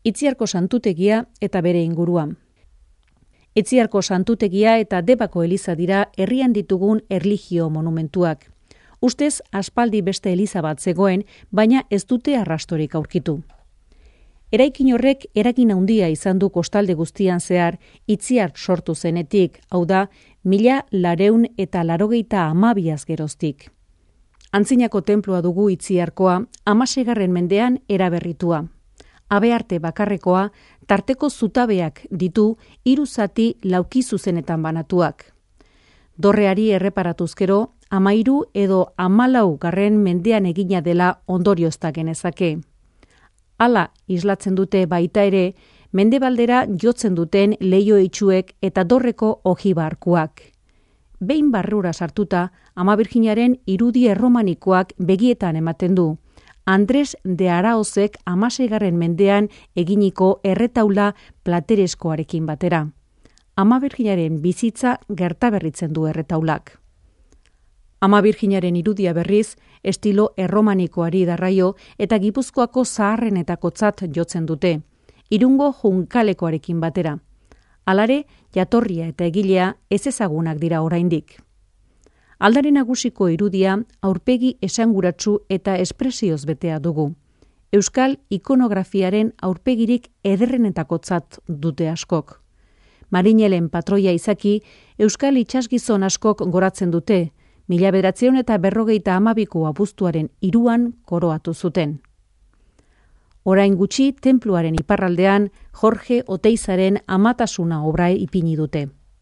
Itziarko santutegia eta bere ingurua. Itziarko santutegia eta Debako eliza dira herrian ditugun erlijio monumentuak. Ustez, aspaldi beste eliza bat zegoen, baina ez dute arrastorik aurkitu. Eraikin horrek eragin handia izan du kostalde guztian zehar Itziar sortu zenetik, hau da, 1982 geroztik. Antzinako tenplua dugu Itziarkoa, 16. mendean eraberritua. Abearte bakarrekoa, tarteko zutabeak ditu 3 zati lauki zuzenetan banatuak. Dorreari erreparatuz gero, 13 edo 14. mendean egina dela ondoriozta genezake. Hala islatzen dute baita ere, mendebaldera jotzen duten leiho itxuek eta dorreko ojibarkuak. Behin barrura sartuta, Ama Birjinaren irudi erromanikoak begietan ematen du. Andres de Araozek 16. mendean eginiko erretaula platereskoarekin batera. Ama Birjinaren bizitza gertaberritzen du erretaulak. Ama Birjinaren irudia berriz, estilo erromanikoari darraio eta Gipuzkoako zaharrenetakotzat jotzen dute, Irungo junkalekoarekin batera. Halare, jatorria eta egilea ezezagunak dira oraindik. Aldare nagusiko irudia aurpegi esanguratsu eta espresioz betea dugu. Euskal ikonografiaren aurpegirik ederrenetakotzat dute askok. Marinelen patroia izaki, Euskal itsasgizon askok goratzen dute, 1952 abuztuaren 3 koroatu zuten. Orain gutxi, tenpluaren iparraldean Jorge Oteizaren Amatasuna obra ipini dute.